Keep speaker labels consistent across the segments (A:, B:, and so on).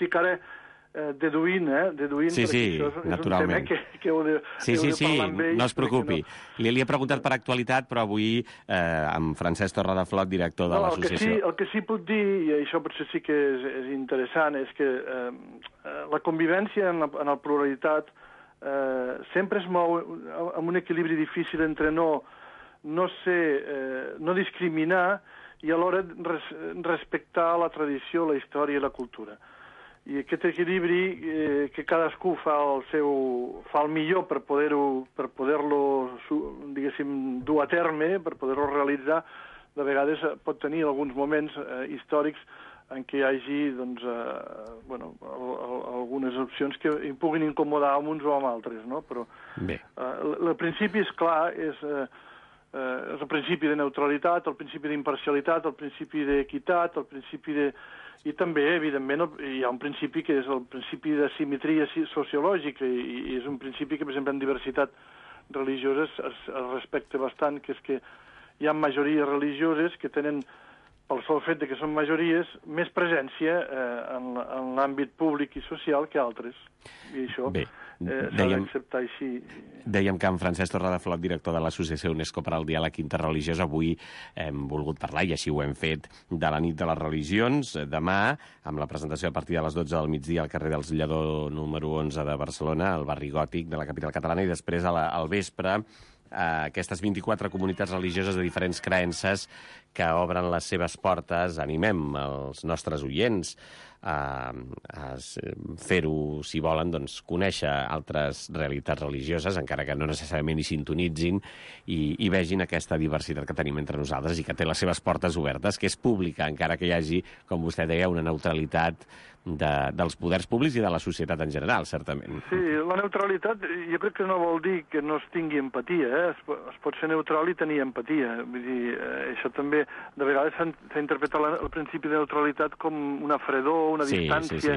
A: estic ara deduint,
B: sí,
A: perquè això és
B: naturalment.
A: un tema que heu de parlar amb ells.
B: No es preocupi. Li he preguntat per actualitat, però avui amb Francesc Torradeflot, director de l'associació...
A: El que sí puc dir, i això potser sí que és interessant, és que la convivència en la pluralitat sempre es mou amb un equilibri difícil entre no discriminar i alhora respectar la tradició, la història i la cultura. I aquest equilibri que cadascú fa el millor per poder-lo, diguéssim, dur a terme, per poder-lo realitzar, de vegades pot tenir alguns moments històrics en què hi hagi algunes opcions que puguin incomodar amb uns o amb altres, no? Però el principi és clar, és el principi de neutralitat, el principi d'imparcialitat, el principi d'equitat, el principi de... I també, evidentment, hi ha un principi que és el principi de simetria sociològica i és un principi que, per exemple, en diversitat religiosa es respecta bastant, que és que hi ha majories religioses que tenen, pel sol fet que són majories, més presència en l'àmbit públic i social que altres. I això s'ha d'acceptar així.
B: Dèiem que en Francesc Torradeflot, director de l'Associació UNESCO per al Diàleg Interreligiós, avui hem volgut parlar, i així ho hem fet, de la nit de les religions. Demà, amb la presentació a partir de les 12 del migdia al carrer dels Lledó número 11 de Barcelona, al barri gòtic de la capital catalana, i després al vespre aquestes 24 comunitats religioses de diferents creences que obren les seves portes. Animem els nostres oients a fer-ho, si volen, doncs, conèixer altres realitats religioses, encara que no necessàriament hi sintonitzin, i vegin aquesta diversitat que tenim entre nosaltres i que té les seves portes obertes, que és pública, encara que hi hagi, com vostè deia, una neutralitat dels poders públics i de la societat en general, certament.
A: Sí, la neutralitat jo crec que no vol dir que no es tingui empatia, es pot ser neutral i tenir empatia. Vull dir, això també, de vegades s'ha interpretat el principi de neutralitat com una fredor, una distància,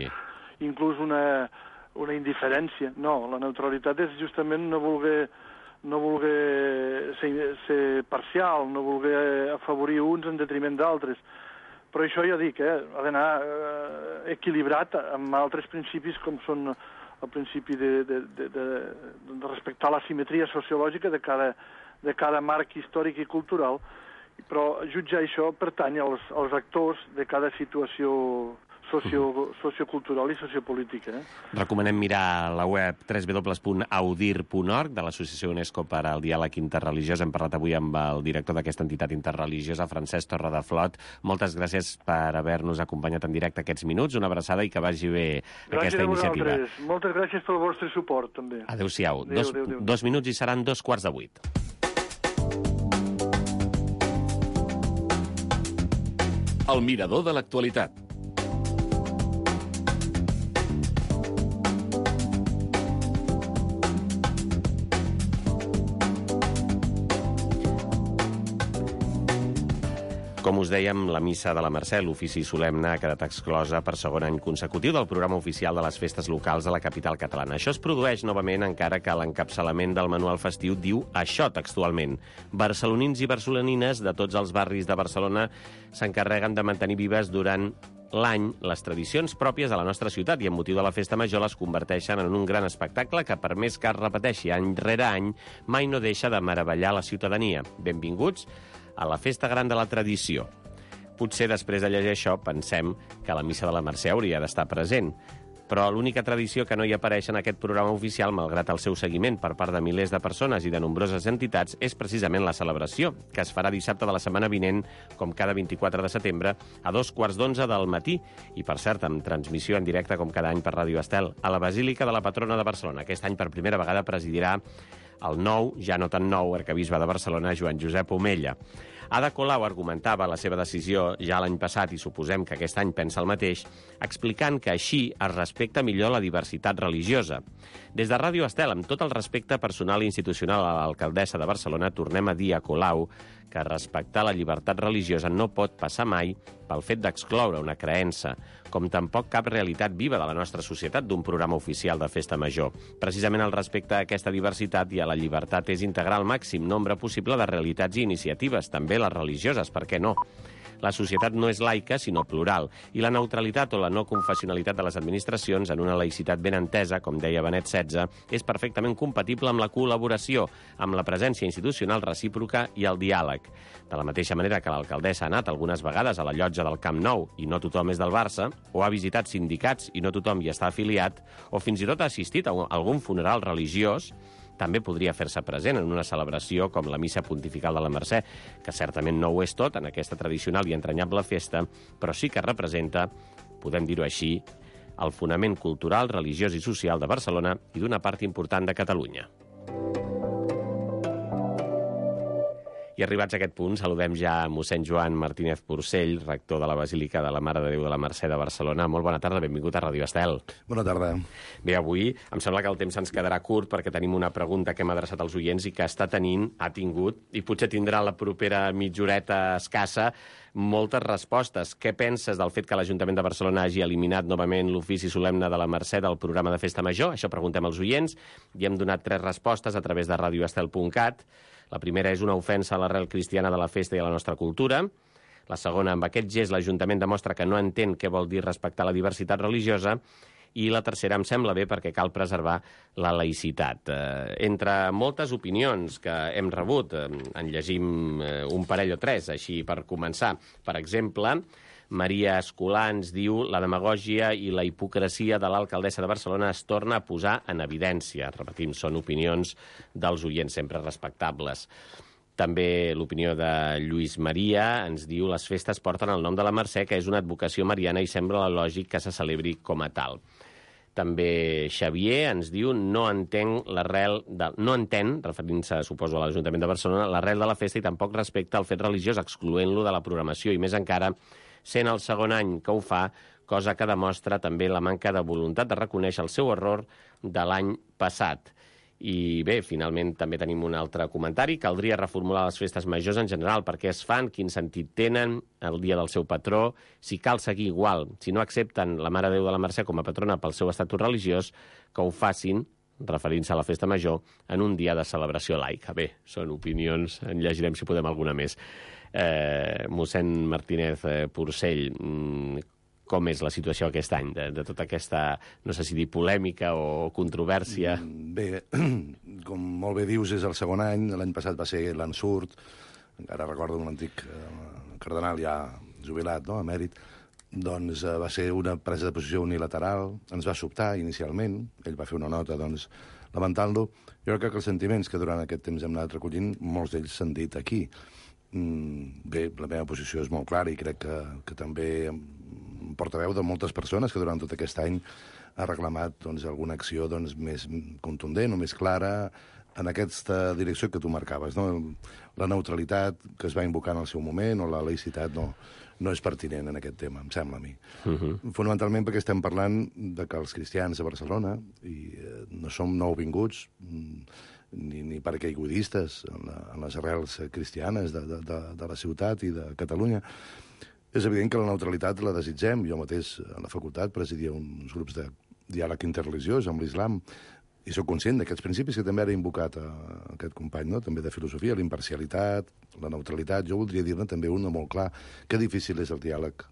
A: inclús una indiferència. No, la neutralitat és justament no voler ser parcial, no voler afavorir uns en detriment d'altres. Però això ja dic, ha d'anar equilibrat amb altres principis com són el principi de respectar la simetria sociològica de cada marc històric i cultural, però jutjar això pertany als actors de cada situació sociocultural i sociopolítica.
B: Recomanem mirar la web www.audir.org de l'Associació UNESCO per al Diàleg Interreligiós. Hem parlat avui amb el director d'aquesta entitat interreligiosa, Francesc Torradeflot. Moltes gràcies per haver-nos acompanyat en directe aquests minuts. Una abraçada i que vagi bé aquesta iniciativa.
A: Moltes gràcies pel vostre suport, també.
B: Adéu-siau. 2 minuts i seran 7:15.
C: El mirador de l'actualitat.
B: Com us dèiem, la missa de la Mercè, l'ofici solemne, ha quedat exclosa per segon any consecutiu del programa oficial de les festes locals de la capital catalana. Això es produeix novament, encara que l'encapçalament del manual festiu diu això textualment. Barcelonins i barcelonines de tots els barris de Barcelona s'encarreguen de mantenir vives durant l'any les tradicions pròpies de la nostra ciutat i amb motiu de la festa major les converteixen en un gran espectacle que, per més que es repeteixi any rere any, mai no deixa de meravellar la ciutadania. Benvinguts a la festa gran de la tradició. Potser després de llegir això pensem que la missa de la Mercè hauria d'estar present, però l'única tradició que no hi apareix en aquest programa oficial, malgrat el seu seguiment per part de milers de persones i de nombroses entitats, és precisament la celebració, que es farà dissabte de la setmana vinent, com cada 24 de setembre, a 2:15 del matí, i per cert, amb transmissió en directe com cada any per Ràdio Estel, a la Basílica de la Patrona de Barcelona. Aquest any per primera vegada presidirà el nou, ja no tan nou, arquebisbe de Barcelona, Joan Josep Omella. Ada Colau argumentava la seva decisió ja l'any passat, i suposem que aquest any pensa el mateix, explicant que així es respecta millor la diversitat religiosa. Des de Ràdio Estel, amb tot el respecte personal i institucional a l'alcaldessa de Barcelona, tornem a dir a Colau que respectar la llibertat religiosa no pot passar mai pel fet d'excloure una creença, com tampoc cap realitat viva de la nostra societat d'un programa oficial de festa major. Precisament el respecte a aquesta diversitat i a la llibertat és integrar el màxim nombre possible de realitats i iniciatives, també les religioses, per què no? la societat no és laica, sinó plural, i la neutralitat o la no confessionalitat de les administracions en una laïcitat ben entesa, com deia Benet XVI, és perfectament compatible amb la col·laboració, amb la presència institucional recíproca i el diàleg. De la mateixa manera que l'alcaldessa ha anat algunes vegades a la llotja del Camp Nou i no tothom és del Barça, o ha visitat sindicats i no tothom hi està afiliat, o fins i tot ha assistit a algun funeral religiós, també podria fer-se present en una celebració com la Missa Pontifical de la Mercè, que certament no ho és tot en aquesta tradicional i entranyable festa, però sí que representa, podem dir-ho així, el fonament cultural, religiós i social de Barcelona i d'una part important de Catalunya. I arribats a aquest punt, saludem ja a mossèn Joan Martínez Porcell, rector de la Basílica de la Mare de Déu de la Mercè de Barcelona. Molt bona tarda, benvingut a Ràdio Estel.
D: Bona tarda.
B: Bé, avui em sembla que el temps ens quedarà curt perquè tenim una pregunta que hem adreçat als oients i que ha tingut, i potser tindrà la propera mitja horeta escassa, moltes respostes. Què penses del fet que l'Ajuntament de Barcelona hagi eliminat novament l'ofici solemne de la Mercè del programa de Festa Major? Això preguntem als oients i hem donat 3 respostes a través de radioestel.cat. La primera és una ofensa a l'arrel cristiana de la festa i a la nostra cultura. La segona, amb aquest gest l'Ajuntament demostra que no entén què vol dir respectar la diversitat religiosa. I la tercera em sembla bé perquè cal preservar la laïcitat. Entre moltes opinions que hem rebut, en llegim un parell o 3, així per començar. Per exemple, Maria Escolà ens diu la demagògia i la hipocresia de l'alcaldessa de Barcelona es torna a posar en evidència. Repetim, són opinions dels oients sempre respectables. També l'opinió de Lluís Maria ens diu les festes porten el nom de la Mercè, que és una advocació mariana i sembla lògic que se celebri com a tal. També Xavier ens diu no entén, referint-se, suposo, a l'Ajuntament de Barcelona, l'arrel de la festa i tampoc respecta el fet religiós, excloent-lo de la programació, i més encara sent el segon any que ho fa, cosa que demostra també la manca de voluntat de reconèixer el seu error de l'any passat. I bé, finalment també tenim un altre comentari. Caldria reformular les festes majors en general, per què es fan, quin sentit tenen, el dia del seu patró, si cal seguir igual. Si no accepten la Mare de Déu de la Mercè com a patrona pel seu estatut religiós, que ho facin, referint-se a la festa major, en un dia de celebració laica. Bé, són opinions, en llegirem si podem alguna més. Mossèn Martínez Porcell, com és la situació aquest any, de tota aquesta, no sé si dir polèmica o controvèrsia?
D: Bé, com molt bé dius, és el segon any. L'any passat va ser l'ensurt. Encara recordo un antic cardenal ja jubilat, no?, emèrit. Doncs va ser una presa de posició unilateral. Ens va sobtar inicialment. Ell va fer una nota, doncs, lamentant-lo. Jo crec que els sentiments que durant aquest temps hem anat recollint, molts d'ells s'han dit aquí. Bé, la meva posició és molt clara i crec que també portaveu de moltes persones que durant tot aquest any ha reclamat doncs, alguna acció doncs, més contundent o més clara en aquesta direcció que tu marcaves, no? La neutralitat que es va invocar en el seu moment o la laïcitat no és pertinent en aquest tema, em sembla a mi. Fonamentalment perquè estem parlant de que els cristians de Barcelona, i no som nouvinguts ni paracaigudistes en les arrels cristianes de la ciutat i de Catalunya, és evident que la neutralitat la desitgem. Jo mateix a la facultat presidia uns grups de diàleg interreligiós amb l'islam i soc conscient d'aquests principis que també ara ha invocat aquest company, no?, també de filosofia, la imparcialitat, la neutralitat. Jo voldria dir-ne també una molt clar, que difícil és el diàleg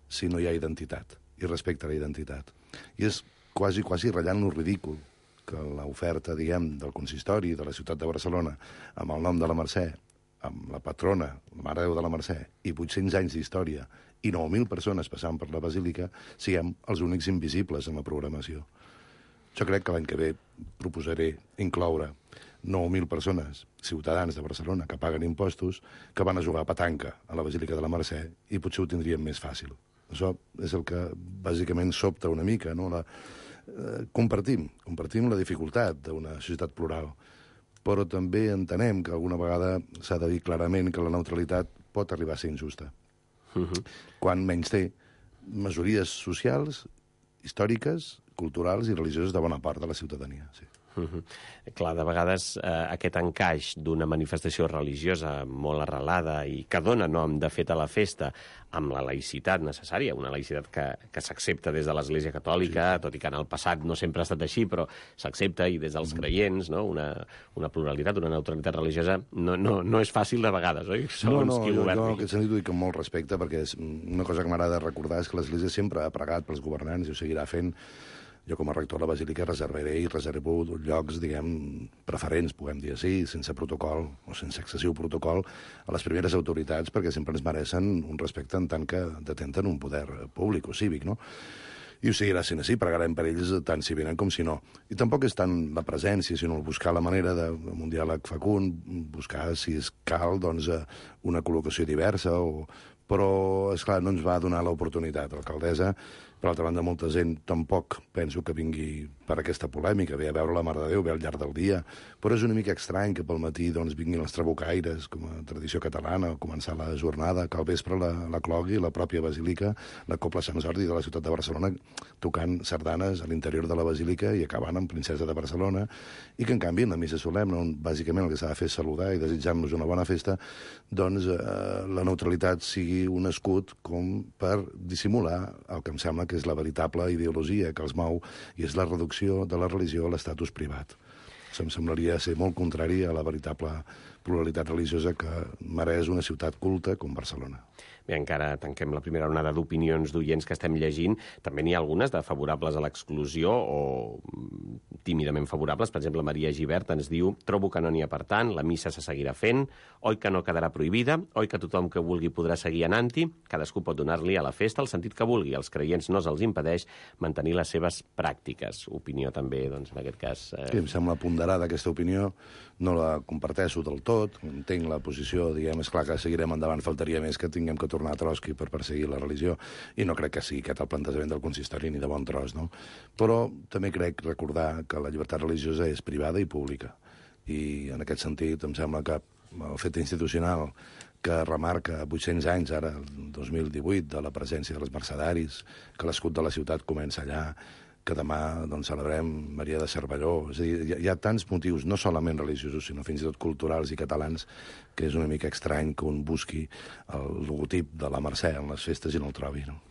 D: si no hi ha identitat i respecte a la identitat. I és quasi ratllant lo ridícul que l'oferta, diguem, del consistori de la ciutat de Barcelona amb el nom de la Mercè, amb la patrona, la Mare de Déu de la Mercè, i 800 anys d'història, i 9.000 persones passant per la Basílica, siguem els únics invisibles en la programació. Jo crec que l'any que ve proposaré incloure 9.000 persones, ciutadans de Barcelona, que paguen impostos, que van a jugar a petanca a la Basílica de la Mercè, i potser ho tindríem més fàcil. Això és el que bàsicament sobta una mica, no? Compartim la dificultat d'una societat plural, però també entenem que alguna vegada s'ha de dir clarament que la neutralitat pot arribar a ser injusta. Quan menys té majories socials, històriques, culturals i religioses de bona part de la ciutadania. Sí.
B: Clar, de vegades aquest encaix d'una manifestació religiosa molt arrelada i que dona nom, de fet, a la festa, amb la laïcitat necessària, una laïcitat que s'accepta des de l'Església Catòlica, tot i que en el passat no sempre ha estat així, però s'accepta, i des dels creients, no? Una pluralitat, una neutralitat religiosa, no és fàcil de vegades, oi?
D: Segons qui governi. Jo en aquest sentit ho dic amb molt respecte, perquè és una cosa que m'agrada recordar és que l'Església sempre ha pregat pels governants i ho seguirà fent. Jo, com a rector de la Basílica, reservo llocs, diguem, preferents, puguem dir així, sense protocol o sense excessiu protocol, a les primeres autoritats, perquè sempre ens mereixen un respecte en tant que detenten un poder públic o cívic, no? I ho seguirà sent així, pregarem per ells tant si venen com si no. I tampoc és tant la presència, sinó buscar la manera d'un diàleg fecund, buscar, si es cal, doncs, una col·locació diversa, però, esclar, no ens va donar l'oportunitat. L'alcaldessa, per altra banda, molta gent tampoc penso que vingui per aquesta polèmica, ve a veure la Mare de Déu, ve al llarg del dia, però és una mica estrany que pel matí doncs, vinguin els trabucaires, com a tradició catalana, a començar la jornada, que al vespre la clogui la pròpia basílica, la Cobla Sant Jordi de la ciutat de Barcelona, tocant sardanes a l'interior de la basílica i acabant amb Princesa de Barcelona, i que en canvi en la missa solemne, on bàsicament el que s'ha de fer és saludar i desitjar-nos una bona festa, doncs la neutralitat sigui un escut com per dissimular el que em sembla que és la veritable ideologia que els mou, i és la reducció de la religió a l'estatus privat. Em semblaria ser molt contrari a la veritable pluralitat religiosa que mereix una ciutat culta com Barcelona.
B: Bé, encara tanquem la primera onada d'opinions d'oients que estem llegint. També n'hi ha algunes de favorables a l'exclusió o tímidament favorables. Per exemple, Maria Gibert ens diu: trobo que no n'hi ha per tant, la missa se seguirà fent, oi que no quedarà prohibida, oi que tothom que vulgui podrà seguir anant-hi, cadascú pot donar-li a la festa el sentit que vulgui, als creients no se'ls impedeix mantenir les seves pràctiques. Opinió també, doncs, en aquest cas...
D: Sí, em sembla ponderada aquesta opinió, no la comparteixo del tot, entenc la posició, diguem, és clar que seguirem endavant, faltaria més que tinguem que tornar a Trotsky per perseguir la religió, i no crec que sigui aquest el plantejament del consistori ni de bon tros, no? Però també crec recordar que la llibertat religiosa és privada i pública, i en aquest sentit em sembla que el fet institucional que remarca 800 anys, ara, el 2018, de la presència dels mercedaris, que l'escut de la ciutat comença allà, que demà doncs, celebrem Maria de Cervelló. És a dir, hi ha tants motius, no solament religiosos, sinó fins i tot culturals i catalans, que és una mica estrany que un busqui el logotip de la Mercè en les festes i no el trobi, no?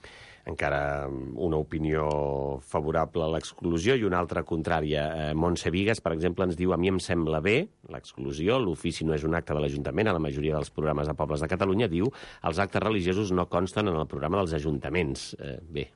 B: Encara una opinió favorable a l'exclusió i una altra contrària. Montse Vigues, per exemple, ens diu: a mi em sembla bé l'exclusió, l'ofici no és un acte de l'Ajuntament, a la majoria dels programes de pobles de Catalunya, diu, els actes religiosos no consten en el programa dels ajuntaments. Bé,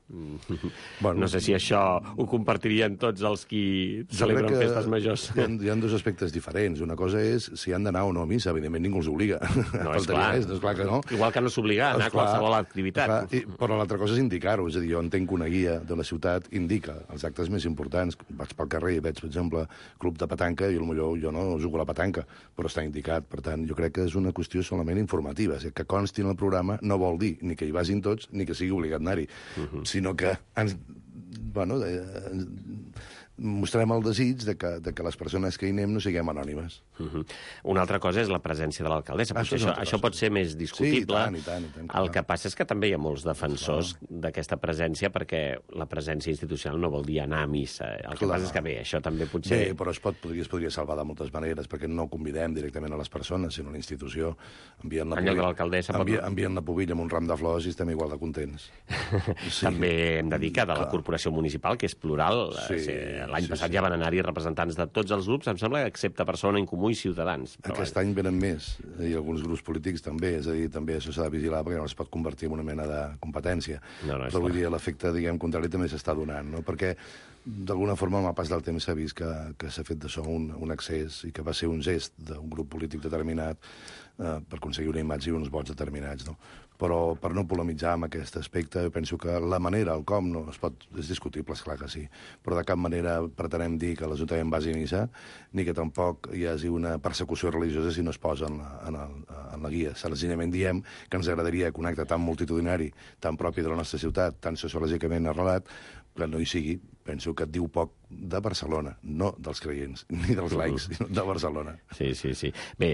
B: bueno, no sé si això ho compartirien tots els qui celebren festes majors.
D: Hi ha dos aspectes diferents. Una cosa és si han d'anar o no a missa, evidentment ningú els obliga.
B: No, és clar.
D: És clar que no.
B: Igual que no s'obliga a anar a qualsevol activitat.
D: Però l'altra cosa és indicar-ho. És a dir, jo entenc que una guia de la ciutat indica els actes més importants. Vaig pel carrer i veig, per exemple, club de petanca, i potser jo no jugo a la petanca, però està indicat. Per tant, jo crec que és una qüestió solament informativa. És a dir, que consti en el programa no vol dir ni que hi vagin tots ni que sigui obligat anar-hi, sinó que mostrem el desig de que les persones que hi anem no siguem anònimes.
B: Una altra cosa és la presència de l'alcaldessa. Això pot ser més discutible.
D: Sí, i tant.
B: El que passa és que també hi ha molts defensors d'aquesta presència, perquè la presència institucional no vol dir anar a missa. El que passa és que, bé, això també potser...
D: Bé, però es podria salvar de moltes maneres, perquè no convidem directament a les persones, sinó a la institució. Envien la pubilla amb un ram de flors i estem igual de contents.
B: També hem de dir que de la corporació municipal, que és plural, l'any passat ja van anar-hi representants de tots els grups, em sembla, excepte Persona en Comú i Ciutadans.
D: Aquest any venen més, i alguns grups polítics també, és a dir, també això s'ha de vigilar perquè no es pot convertir en una mena de competència. Però vull dir, l'efecte, diguem, contrari també s'està donant, no? Perquè d'alguna forma, amb el pas del temps s'ha vist que s'ha fet d'això un excés i que va ser un gest d'un grup polític determinat per aconseguir una imatge i uns vots determinats, no? Però per no polemitzar amb aquest aspecte, penso que la manera, el com, no es pot... És discutible, esclar que sí, però de cap manera pretenem dir que l'Ajuntament vagi a missa, ni que tampoc hi hagi una persecució religiosa si no es posa en la guia. Senzillament diem que ens agradaria que un acte tan multitudinari, tan propi de la nostra ciutat, tan sociològicament arrelat, que no hi sigui penso que et diu poc de Barcelona, no dels creients, ni dels laics, sinó de Barcelona.
B: Sí. Bé,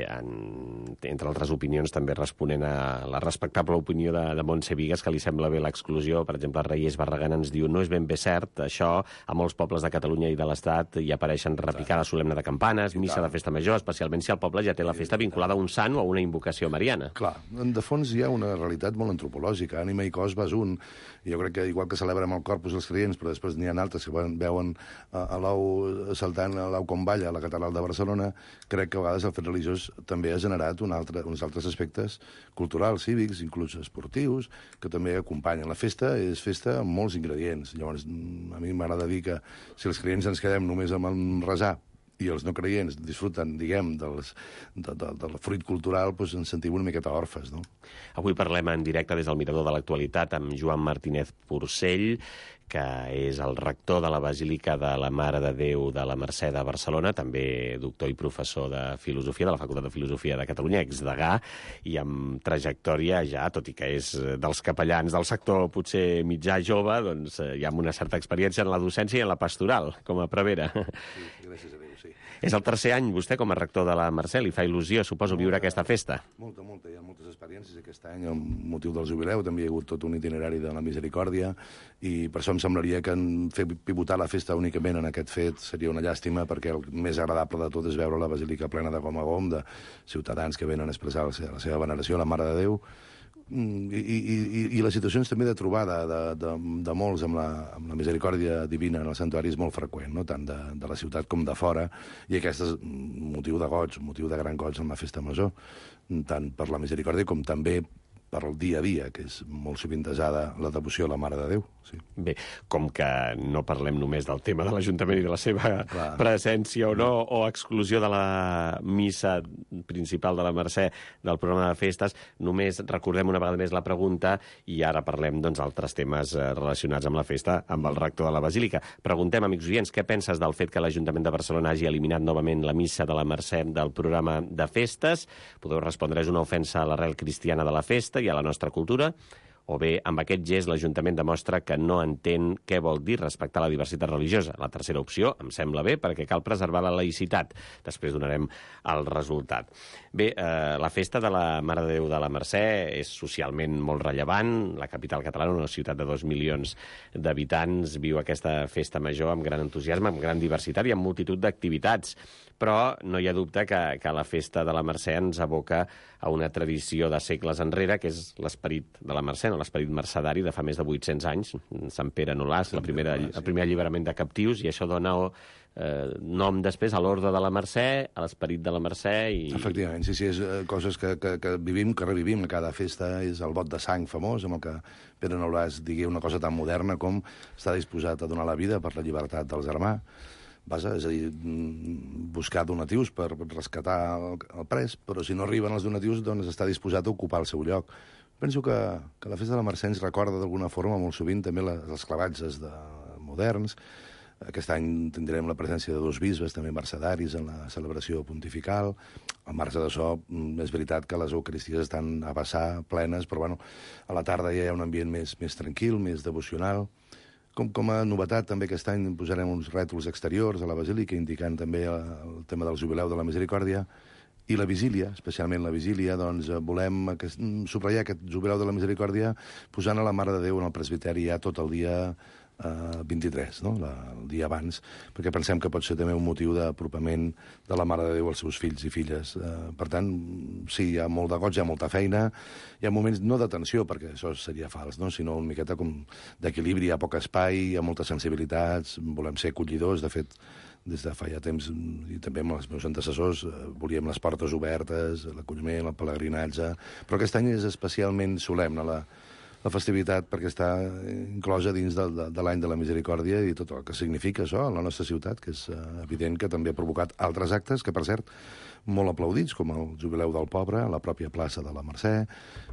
B: entre altres opinions, també responent a la respectable opinió de Montse Vigues, que li sembla bé l'exclusió. Per exemple, Reyes Barragán ens diu: no és ben bé cert, això, a molts pobles de Catalunya i de l'Estat hi apareixen repicada solemne de campanes, missa de festa major, especialment si el poble ja té la festa vinculada a un sant o a una invocació mariana.
D: Clar, de fons hi ha una realitat molt antropològica. Ànima i cos vas un. Jo crec que igual que celebrem el Corpus els creients, però després n'hi ha altres que veuen a l'ou saltant a l'ou com balla a la catedral de Barcelona, crec que a vegades el fet religiós també ha generat uns altres aspectes culturals, cívics, inclús esportius, que també acompanyen. La festa és festa amb molts ingredients. Llavors, a mi m'agrada dir que si els creients ens quedem només amb el resar i els no creients disfruten, diguem, del fruit cultural, doncs ens sentim una miqueta orfes, no?
B: Avui parlem en directe des del Mirador de l'Actualitat amb Joan Martínez Porcell, que és el rector de la Basílica de la Mare de Déu de la Mercè de Barcelona, també doctor i professor de Filosofia de la Facultat de Filosofia de Catalunya, exdegà, i amb trajectòria ja, tot i que és dels capellans del sector potser mitjà jove, doncs ja amb una certa experiència en la docència i en la pastoral, com a prevera.
D: Sí, gràcies a Déu, sí.
B: És el tercer any, vostè, com a rector de la Mercè, li fa il·lusió, suposo, viure aquesta festa.
D: Molta. Hi ha moltes experiències aquest any, amb motiu del jubileu, també hi ha hagut tot un itinerari de la misericòrdia, i per això em semblaria que fer pivotar la festa únicament en aquest fet seria una llàstima, perquè el més agradable de tot és veure la basílica plena de gom a gom, de ciutadans que venen a expressar la seva veneració a la Mare de Déu, i les situacions també de trobada de molts amb la misericòrdia divina en el santuari és molt freqüent, no? Tant de la ciutat com de fora, i aquest és un motiu de goig, un motiu de gran goig en la festa major, tant per la misericòrdia com també per el dia a dia, que és molt sovintejada la devoció a la Mare de Déu. Sí.
B: Bé, com que no parlem només del tema de l'Ajuntament i de la seva presència o no, o exclusió de la missa principal de la Mercè del programa de festes, només recordem una vegada més la pregunta i ara parlem d'altres temes relacionats amb la festa, amb el rector de la Basílica. Preguntem, amics oients, què penses del fet que l'Ajuntament de Barcelona hagi eliminat novament la missa de la Mercè del programa de festes? Podeu respondre, és una ofensa a l'arrel cristiana de la festa i a la nostra cultura, o bé, amb aquest gest l'Ajuntament demostra que no entén què vol dir respectar la diversitat religiosa. La tercera opció em sembla bé, perquè cal preservar la laïcitat. Després donarem el resultat. Bé, la festa de la Mare de Déu de la Mercè és socialment molt rellevant. La capital catalana, una ciutat de 2 milions d'habitants, viu aquesta festa major amb gran entusiasme, amb gran diversitat i amb multitud d'activitats. Però no hi ha dubte que la festa de la Mercè ens aboca a una tradició de segles enrere, que és l'esperit de la Mercè, no? L'esperit mercedari de fa més de 800 anys, Sant Pere Nolàs, el primer alliberament de captius, i això dona nom després a l'Orde de la Mercè, a l'esperit de la Mercè...
D: Efectivament, sí, és coses que vivim, que revivim a cada festa, és el vot de sang famós, amb el que Pere Nolàs digui una cosa tan moderna com està disposat a donar la vida per la llibertat del germà. És a dir, buscar donatius per rescatar el pres, però si no arriben els donatius, doncs està disposat a ocupar el seu lloc. Penso que la festa de la Mercè ens recorda d'alguna forma molt sovint també les clavatges moderns. Aquest any tindrem la presència de 2 bisbes, també mercedaris, en la celebració pontifical. Al marge d'això, és veritat que les eucaristies estan a vessar, plenes, però bueno, a la tarda ja hi ha un ambient més tranquil, més devocional. Com a novetat, també aquest any posarem uns rètols exteriors a la Basílica, indicant també el tema del jubileu de la Misericòrdia. I la vigília, especialment la vigília, doncs volem subratllar aquest jubileu de la Misericòrdia posant a la Mare de Déu en el presbiteri ja tot el dia 23, no? El dia abans, perquè pensem que pot ser també un motiu d'apropament de la Mare de Déu als seus fills i filles. Per tant, sí, hi ha molt de goig, hi ha molta feina, hi ha moments no de tensió, perquè això seria fals, no? Sinó una miqueta com d'equilibri, hi ha poc espai, hi ha moltes sensibilitats, volem ser acollidors, de fet, des de fa ja temps, i també amb els meus antecessors, volíem les portes obertes, l'acolliment, el pelegrinatge, però aquest any és especialment solemne la festivitat perquè està inclosa dins de l'any de la Misericòrdia i tot el que significa això a la nostra ciutat, que és evident que també ha provocat altres actes que, per cert, molt aplaudits, com el Jubileu del Pobre, a la pròpia plaça de la Mercè,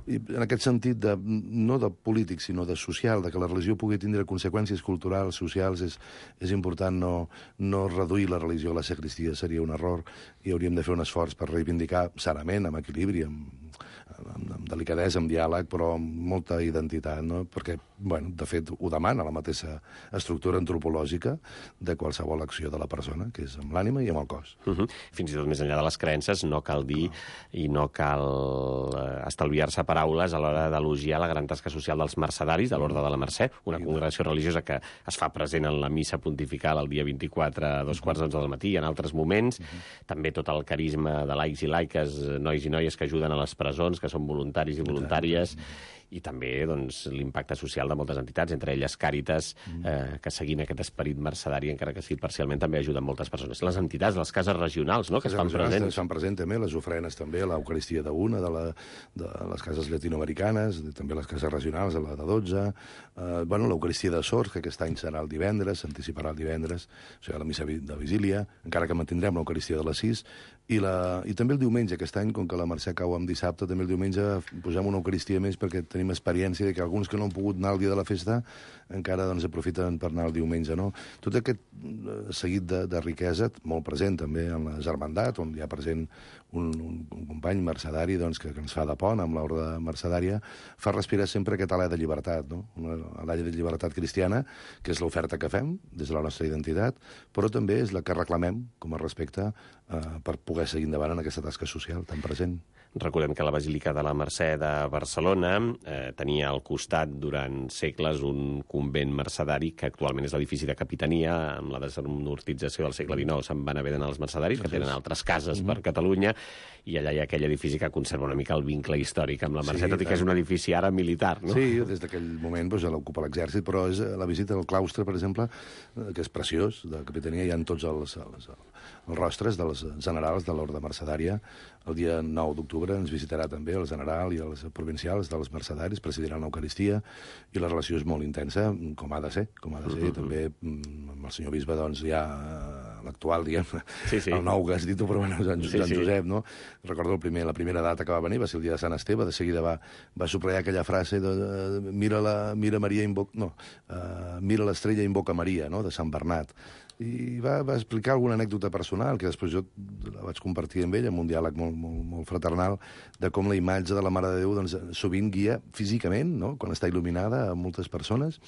D: i en aquest sentit, no de polític, sinó de social, de que la religió pugui tindre conseqüències culturals, socials, és important no reduir la religió a la sagristia, seria un error, i hauríem de fer un esforç per reivindicar sanament, amb equilibri, amb amb delicadesa, amb diàleg, però amb molta identitat, no? Perquè, bueno, de fet, ho demana la mateixa estructura antropològica de qualsevol acció de la persona, que és amb l'ànima i amb el cos.
B: Fins i tot més enllà de les creences, no cal dir i no cal estalviar-se paraules a l'hora d'elogiar la gran tasca social dels mercedaris de l'Orde de la Mercè, una congregació religiosa que es fa present en la missa pontifical el dia 24 a 2:15 del matí i en altres moments. També tot el carisma de laics i laiques, nois i noies que ajuden a les presons, que són voluntaris i voluntàries, i també doncs, l'impacte social de moltes entitats, entre elles Càritas, que seguint aquest esperit mercedari, encara que sigui parcialment, també ajuden moltes persones. Les entitats, les cases regionals, no?, que es fan presents.
D: Es fan presents també, les ofrenes també, l'Eucaristia d'una, de les cases llatinoamericanes, també les cases regionals, la de 12, l'Eucaristia de Sors, que aquest any serà el divendres, s'anticiparà el divendres, o sigui, la missa de vigília, encara que mantindrem l'Eucaristia de les 6, i també el diumenge, aquest any, com que la Mercè cau en dissabte, també el diumenge posem una Eucaristia més perquè tenim experiència de que alguns que no han pogut anar el dia de la festa encara doncs, aprofiten per anar el diumenge, no? Tot aquest seguit de riquesa, molt present també en la germandat, on hi ha present un company mercedari doncs, que ens fa de pont amb l'Orde mercedària, fa respirar sempre aquest alè de llibertat, no? Una alè de llibertat cristiana, que és l'oferta que fem des de la nostra identitat, però també és la que reclamem com a respecte per poder seguir endavant en aquesta tasca social tan present.
B: Recordem que la Basílica de la Mercè de Barcelona tenia al costat durant segles un convent mercedari que actualment és l'edifici de capitania. Amb la desamortització del segle XIX se'n van haver d'anar els mercedaris, que tenen altres cases per Catalunya, i allà hi ha aquell edifici que conserva una mica el vincle històric amb la Mercè, tot i que és un edifici ara militar, no?
D: Sí, des d'aquell moment ja l'ocupa l'exèrcit, però és la visita al claustre, per exemple, que és preciós, de capitania, hi ha tots els rostres dels generals de l'Orde mercedària. El dia 9 d'octubre ens visitarà també el general i els provincials dels mercedaris, presidiran l'Eucaristia, i la relació és molt intensa, com ha de ser. També amb el senyor bisbe, doncs, hi ha l'actual, diguem, el nou que has dit tu, però bueno, Joan Josep, no? Recordo la primera data que va venir, va ser el dia de Sant Esteve, de seguida va subratllar aquella frase de mira l'estrella i invoca Maria, no?, de Sant Bernat. I va explicar alguna anècdota personal, que després jo la vaig compartir amb ell, amb un diàleg molt fraternal, de com la imatge de la Mare de Déu doncs, sovint guia físicament, no?, quan està il·luminada, a moltes persones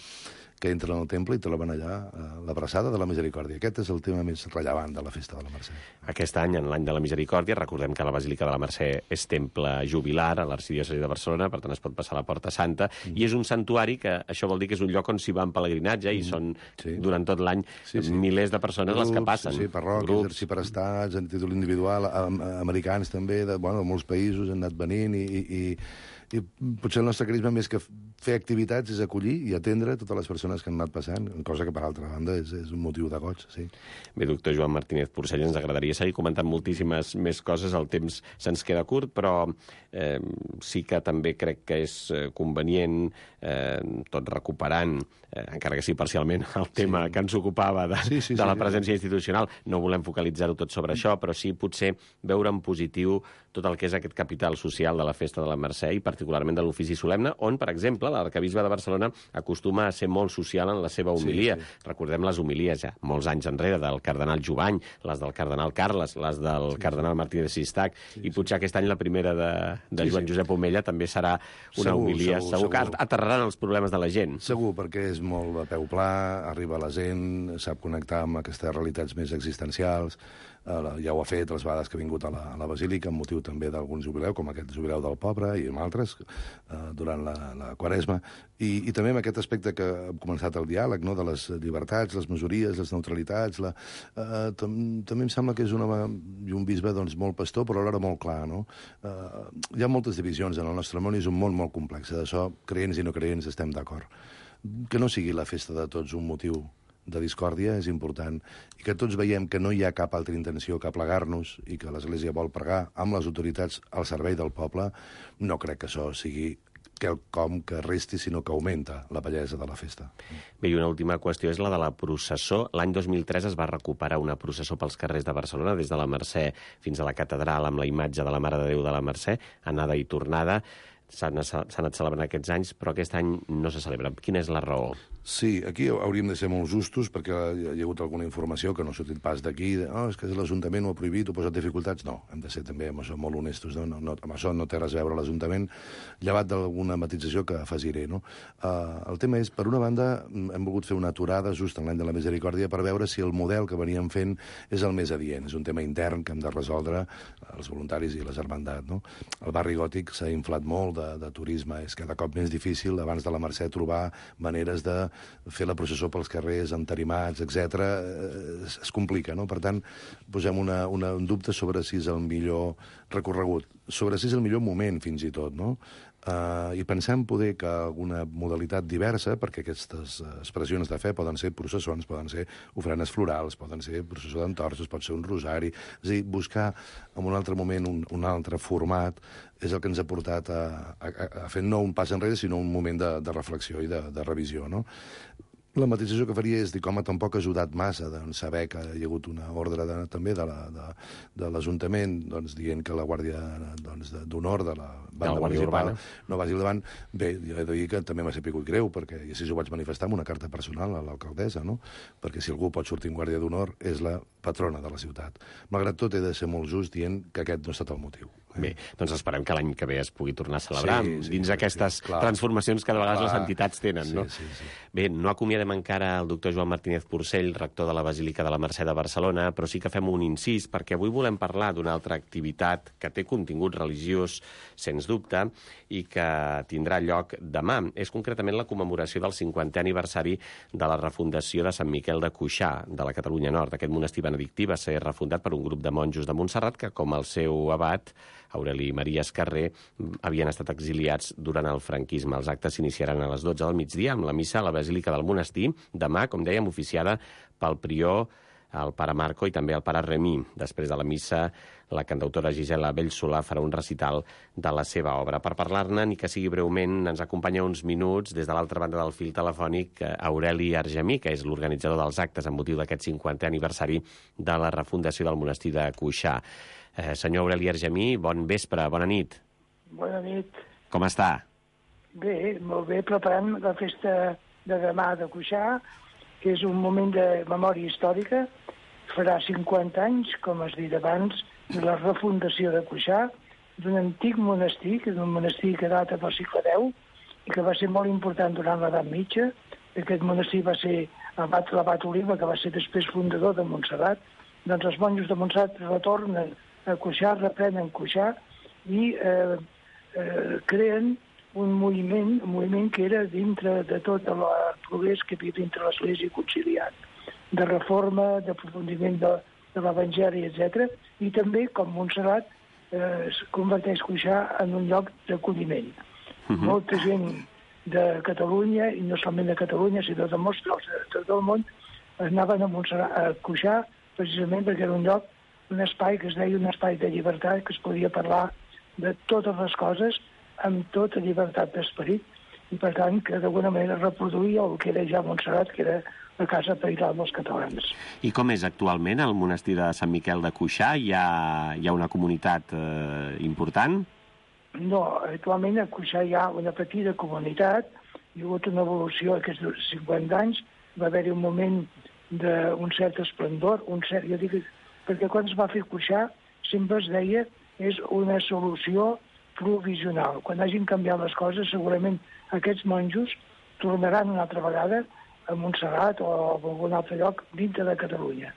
D: que entren al temple i troben allà l'abraçada de la Misericòrdia. Aquest és el tema més rellevant de la Festa de la Mercè.
B: Aquest any, en l'any de la Misericòrdia, recordem que la Basílica de la Mercè és temple jubilar a l'Arxidiòcesi de Barcelona, per tant es pot passar a la Porta Santa, i és un santuari que això vol dir que és un lloc on s'hi va en pelegrinatge i són durant tot l'any milers de persones les que passen.
D: Sí, parròquies, arxiprestats, en títol individual, americans també, de molts països han anat venint i potser el nostre carisma, més que fer activitats, és acollir i atendre totes les persones que han anat passant, cosa que, per altra banda, és un motiu de goig, sí.
B: Bé, doctor Joan Martínez Porcell, ens agradaria seguir comentant moltíssimes més coses, el temps se'ns queda curt, però sí que també crec que és convenient, tot recuperant, encara que sí parcialment, el tema que ens ocupava de la presència institucional. No volem focalitzar-ho tot sobre això, però sí potser veure en positiu tot el que és aquest capital social de la Festa de la Mercè i particularment de l'ofici solemne, on, per exemple, l'arcabisbe de Barcelona acostuma a ser molt social en la seva homilia. Recordem les homilies ja molts anys enrere del cardenal Jovany, les del cardenal Carles, les del cardenal Martí de Sistac, i potser aquest any la primera de Joan Josep Omella també serà una homilia. Segur que aterraran els problemes de la gent.
D: Segur, perquè és molt a peu pla, arriba a la gent, sap connectar amb aquestes realitats més existencials. Ja ho ha fet les vegades que ha vingut a la Basílica, amb motiu també d'algun jubileu, com aquest jubileu del Poble i amb altres, durant la Quaresma. I també amb aquest aspecte que hem començat el diàleg, no?, de les llibertats, les majories, les neutralitats. També em sembla que és un bisbe doncs, molt pastor, però alhora molt clar, no? Hi ha moltes divisions en el nostre món i és un món molt complex. D'això, creents i no creents, estem d'acord. Que no sigui la festa de tots un motiu de discòrdia és important, i que tots veiem que no hi ha cap altra intenció que plegar-nos i que l'Església vol pregar amb les autoritats al servei del poble, no crec que això sigui quelcom que resti, sinó que augmenta la bellesa de la festa.
B: Bé, i una última qüestió és la de la processó. L'any 2003 es va recuperar una processó pels carrers de Barcelona, des de la Mercè fins a la catedral, amb la imatge de la Mare de Déu de la Mercè, anada i tornada. S'ha anat celebrant aquests anys, però aquest any no se celebra. Quina és la raó?
D: Sí, aquí hauríem de ser molt justos perquè hi ha hagut alguna informació que no ha sortit pas d'aquí, és que l'Ajuntament ho ha prohibit, ho ha posat dificultats. No, hem de ser també amb això molt honestos. Amb això no té res a veure l'Ajuntament, llevat d'alguna matització que afegiré. El tema és, per una banda, hem volgut fer una aturada just en l'any de la Misericòrdia per veure si el model que veníem fent és el més adient. És un tema intern que hem de resoldre els voluntaris i les hermandats. El barri gòtic s'ha inflat molt de turisme, és cada cop més difícil, abans de la Mercè, trobar maneres de fer la processó pels carrers, entarimats, etc. Es complica, no? Per tant, posem un dubte sobre si és el millor recorregut, sobre si és el millor moment, fins i tot, no? I pensem poder que alguna modalitat diversa, perquè aquestes expressions de fe poden ser processons, poden ser ofrenes florals, poden ser processó d'entorxes, pot ser un rosari, és a dir, buscar en un altre moment un altre format és el que ens ha portat a fer no un pas enrere, sinó un moment de reflexió i de revisió, no? La matització que faria és dir, com tampoc ha ajudat massa saber que hi ha hagut una ordre també de l'Ajuntament dient que la Guàrdia d'Honor de la banda municipal no vagi al davant. Bé, jo he de dir que també m'ha sabut greu, perquè així ho vaig manifestar amb una carta personal a l'alcaldessa, no? Perquè si algú pot sortir en Guàrdia d'Honor és la patrona de la ciutat. Malgrat tot, he de ser molt just dient que aquest no ha estat el motiu.
B: Bé, doncs esperem que l'any que ve es pugui tornar a celebrar dins aquestes transformacions que de vegades les entitats tenen, no? Bé, no acomiadem encara el doctor Joan Martínez Porcell, rector de la Basílica de la Mercè de Barcelona, però sí que fem un incís, perquè avui volem parlar d'una altra activitat que té contingut religiós, sens dubte, i que tindrà lloc demà. És concretament la commemoració del 50è aniversari de la refundació de Sant Miquel de Cuixà, de la Catalunya Nord. Aquest monestir benedictí va ser refundat per un grup de monjos de Montserrat que, com el seu abat, Aureli Maria Escarré, havien estat exiliats durant el franquisme. Els actes s'iniciaran a les 12 del migdia amb la missa a la Basílica del Monestir, demà, com dèiem, oficiada pel prior, el pare Marco i també el pare Remí. Després de la missa, la cantautora Gisela Bellsolà farà un recital de la seva obra. Per parlar-ne, ni que sigui breument, ens acompanya uns minuts des de l'altra banda del fil telefònic Aureli Argemí, que és l'organitzador dels actes amb motiu d'aquest 50è aniversari de la refundació del monestir de Cuixà. Senyor Aureli Argemí, bon vespre, bona nit.
E: Bona nit.
B: Com està?
E: Bé, molt bé, preparant la festa de demà de Cuixà, que és un moment de memòria històrica. Farà 50 anys, com has dit abans, de la refundació de Cuixà, d'un antic monestir, que és un monestir que data del segle X i que va ser molt important durant l'edat mitja. Aquest monestir va ser l'abat Oliva, que va ser després fundador de Montserrat. Doncs els monjos de Montserrat retornen a Cuixà, reprenen Cuixà i creen un moviment que era dintre de tot el progrés que havia dintre l'Església conciliat, de reforma, d'aprofundiment de l'Evangeli, etc. I també, com Montserrat, es converteix Cuixà en un lloc d'acolliment. Molta gent de Catalunya, i no solament de Catalunya, sinó de molts llocs de tot el món, anaven a Cuixà precisament perquè era un lloc, un espai que es deia un espai de llibertat, que es podia parlar de totes les coses amb tota llibertat d'esperit, i per tant que d'alguna manera reproduïa el que era ja Montserrat, que era la casa pairal dels catalans.
B: I com és actualment el monestir de Sant Miquel de Cuixà? Hi ha una comunitat important?
E: No, actualment a Cuixà hi ha una petita comunitat, hi ha hagut una evolució aquests 50 anys, va haver-hi un moment d'un cert esplendor, jo dic, perquè quan es va fer Cuixà sempre es deia és una solució provisional. Quan hagin canviat les coses, segurament aquests monjos tornaran una altra vegada a Montserrat o a algun altre lloc dintre de Catalunya.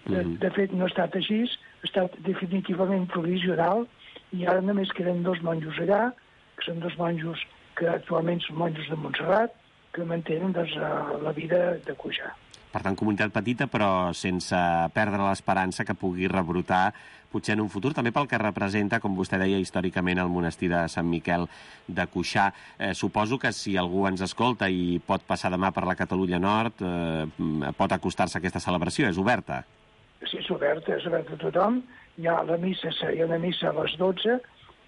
E: De fet, no ha estat així, ha estat definitivament provisional i ara només queden 2 monjos allà, que són 2 monjos que actualment són monjos de Montserrat, que mantenen la vida de Cuixà.
B: Per tant, comunitat petita, però sense perdre l'esperança que pugui rebrotar potser en un futur, també pel que representa, com vostè deia, històricament el monestir de Sant Miquel de Cuixà. Suposo que si algú ens escolta i pot passar demà per la Catalunya Nord, pot acostar-se a aquesta celebració. És oberta?
E: Sí, és oberta a tothom. Hi ha una missa a les 12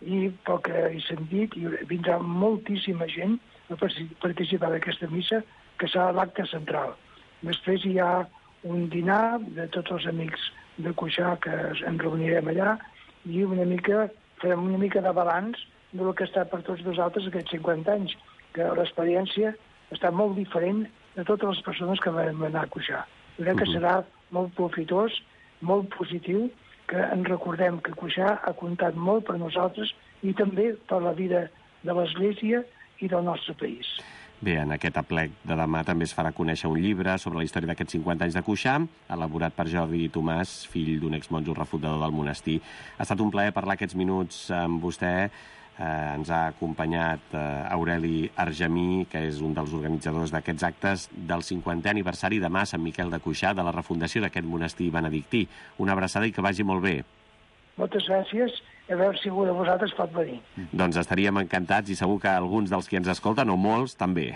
E: i pel que he sentit vindrà moltíssima gent a participar d'aquesta missa, que serà l'acte central. Després hi ha un dinar de tots els amics de Cuixà que ens reunirem allà i farem una mica de balanç del que ha estat per tots nosaltres aquests 50 anys, que l'experiència està molt diferent de totes les persones que vam anar a Cuixà. Jo crec que serà molt profitós, molt positiu, que ens recordem que Cuixà ha comptat molt per nosaltres i també per la vida de l'Església i del nostre país.
B: Bé, en aquest aplec de demà també es farà conèixer un llibre sobre la història d'aquests 50 anys de Cuixà, elaborat per Jordi Tomàs, fill d'un exmonjo refundador del monestir. Ha estat un plaer parlar aquests minuts amb vostè. Ens ha acompanyat Aureli Argemí, que és un dels organitzadors d'aquests actes del 50è aniversari demà a Sant Miquel de Cuixà, de la refundació d'aquest monestir benedictí. Una abraçada i que vagi molt bé.
E: Moltes gràcies. A veure si algú de vosaltres pot venir.
B: Doncs estaríem encantats i segur que alguns dels que ens escolten, o molts, també.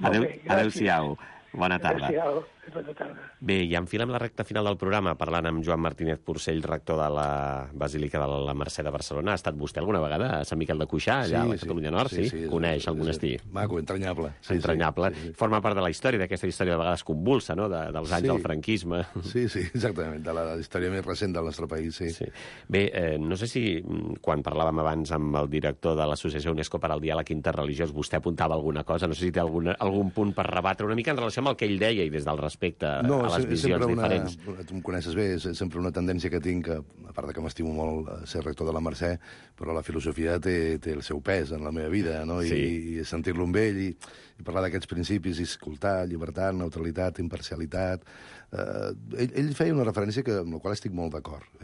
B: Adéu-siau. Bona tarda.
E: Adéu-siau. Bona tarda.
B: Bé, i enfilem la recta final del programa parlant amb Joan Martínez Porcell, rector de la Basílica de la Mercè de Barcelona. Ha estat vostè alguna vegada a Sant Miquel de Cuixà, allà a la Catalunya Nord? Sí. Coneix el monestir?
D: Maco, entranyable.
B: Entranyable. Forma part de la història, d'aquesta història de vegades convulsa, no?, dels anys del franquisme.
D: Sí, exactament, de la història més recent del nostre país, sí.
B: Bé, no sé si quan parlàvem abans amb el director de l'Associació UNESCO per al Diàleg Interreligiós vostè apuntava alguna cosa, no sé si té algun punt per rebatre una mica en relació amb el que ell deia i des del respecte a les visions diferents.
D: Tu em coneixes bé, és sempre una tendència que tinc, a part que m'estimo molt ser rector de la Mercè, però la filosofia té el seu pes en la meva vida, no? I sentir-lo amb ell i parlar d'aquests principis, i escoltar, llibertat, neutralitat, imparcialitat. Ell feia una referència amb la qual estic molt d'acord,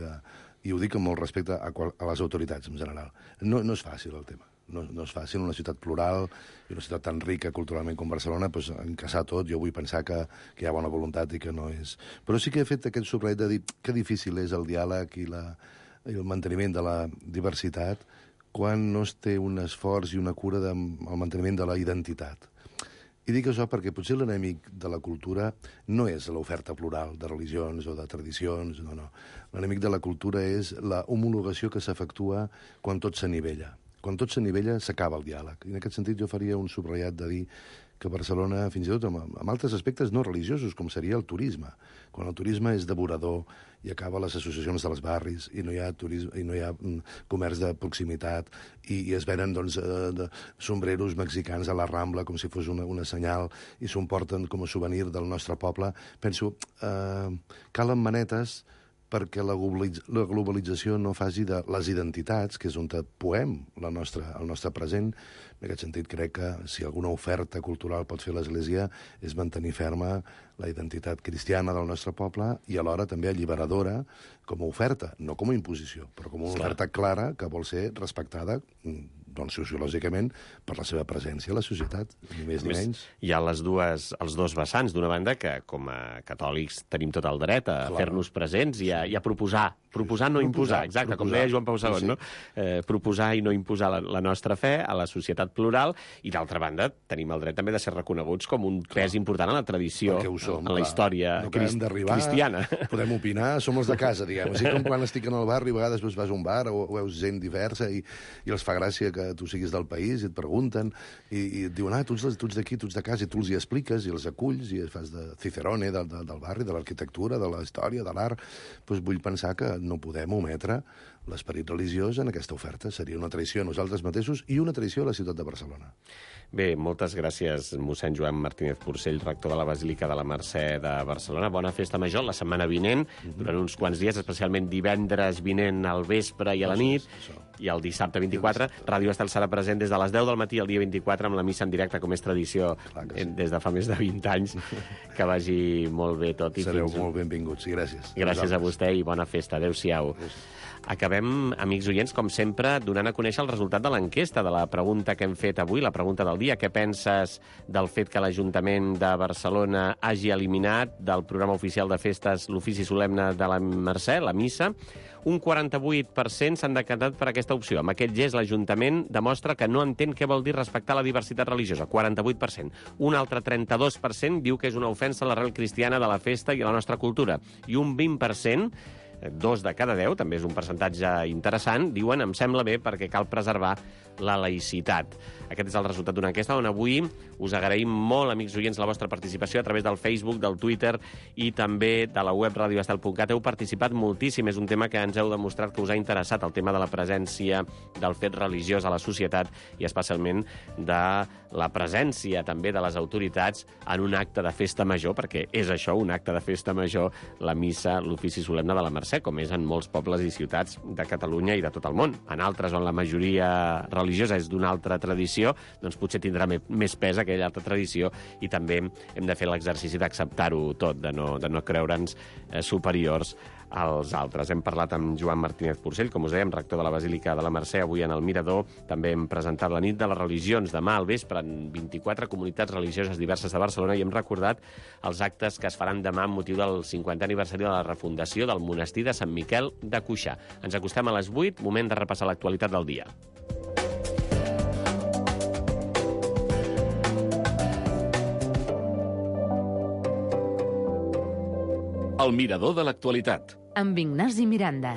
D: i ho dic amb molt respecte a les autoritats en general. No és fàcil el tema. No és fàcil, una ciutat plural i una ciutat tan rica culturalment com Barcelona, doncs, encaixar tot. Jo vull pensar que hi ha bona voluntat i que no és... Però sí que he fet aquest subratllat de dir que difícil és el diàleg i el manteniment de la diversitat quan no es té un esforç i una cura del manteniment de la identitat. I dic això perquè potser l'enemic de la cultura no és l'oferta plural de religions o de tradicions, no. L'enemic de la cultura és la homologació que s'efectua quan tot s'anivella. Quan tot s'anivella, s'acaba el diàleg. I en aquest sentit jo faria un subratllat de dir que Barcelona, fins i tot amb altres aspectes no religiosos, com seria el turisme, quan el turisme és devorador i acaba les associacions dels barris i no hi ha turisme, i no hi ha comerç de proximitat i es venen de sombreros mexicans a la Rambla com si fos una senyal i s'ho emporten com a souvenir del nostre poble, penso, calen manetes perquè la globalització no faci de les identitats, que és on poem el nostre present. En aquest sentit, crec que si alguna oferta cultural pot fer l'Església és mantenir ferma la identitat cristiana del nostre poble i alhora també alliberadora com a oferta, no com a imposició, però com una oferta clara que vol ser respectada sociològicament per la seva presència a la societat, ni més ni menys.
B: Hi ha els dos vessants. D'una banda, que com a catòlics tenim tot el dret a fer-nos presents i a proposar no imposar, exacte, com deia Joan Pau II, no? Proposar i no imposar la nostra fe a la societat plural, i d'altra banda tenim el dret també de ser reconeguts com un pes important en la tradició, en la història cristiana.
D: Podem opinar, som els de casa, diguem. Així com quan estic en el barri, a vegades vas a un bar o veus gent diversa i els fa gràcia que tu siguis del país i et pregunten i et diuen, tu ets d'aquí, tu ets de casa, i tu els hi expliques i els aculls i fas de Cicerone del barri, de l'arquitectura, de la història, de l'art. Doncs vull pensar que no podem ometre l'esperit religiós en aquesta oferta. Seria una traïció a nosaltres mateixos i una traïció a la ciutat de Barcelona.
B: Bé, moltes gràcies, mossèn Joan Martínez Porcell, rector de la Basílica de la Mercè de Barcelona. Bona festa major la setmana vinent, durant uns quants dies, especialment divendres vinent al vespre i a la nit, i el dissabte 24. Ràdio Estel serà present des de les 10 del matí el dia 24 amb la missa en directe, com és tradició des de fa més de 20 anys. Que vagi molt bé tot.
D: Sereu molt benvinguts, i gràcies.
B: Gràcies a vostè i bona festa. Adéu-siau. Acabem, amics oients, com sempre, donant a conèixer el resultat de l'enquesta, de la pregunta que hem fet avui, la pregunta del dia. Què penses del fet que l'Ajuntament de Barcelona hagi eliminat del programa oficial de festes l'ofici solemne de la Mercè, la missa? Un 48% s'han decantat per aquesta opció. Amb aquest gest, l'Ajuntament demostra que no entén què vol dir respectar la diversitat religiosa. 48%. Un altre 32% diu que és una ofensa a l'arrel cristiana de la festa i a la nostra cultura. I un 20% 2 de cada 10, també és un percentatge interessant, diuen em sembla bé perquè cal preservar la laïcitat. Aquest és el resultat d'una enquesta on avui us agraïm molt, amics oients, la vostra participació a través del Facebook, del Twitter i també de la web radioestel.cat. Heu participat moltíssim, és un tema que ens heu demostrat que us ha interessat, el tema de la presència del fet religiós a la societat i especialment de la presència també de les autoritats en un acte de festa major, perquè és això, un acte de festa major, la missa, l'ofici solemne de la Mercè, com és en molts pobles i ciutats de Catalunya i de tot el món. En altres, on la majoria religiosa és d'una altra tradició, doncs potser tindrà més pes aquella altra tradició i també hem de fer l'exercici d'acceptar-ho tot, de no creure'ns superiors als altres. Hem parlat amb Joan Martínez Porcell, com us dèiem, rector de la Basílica de la Mercè, avui en el Mirador. També hem presentat la nit de les religions demà al vespre en 24 comunitats religioses diverses de Barcelona i hem recordat els actes que es faran demà amb motiu del 50è aniversari de la refundació del monestir de Sant Miquel de Cuixà. Ens acostem a les 8, moment de repassar l'actualitat del dia.
C: El Mirador de l'actualitat.
F: Amb Ignasi Miranda.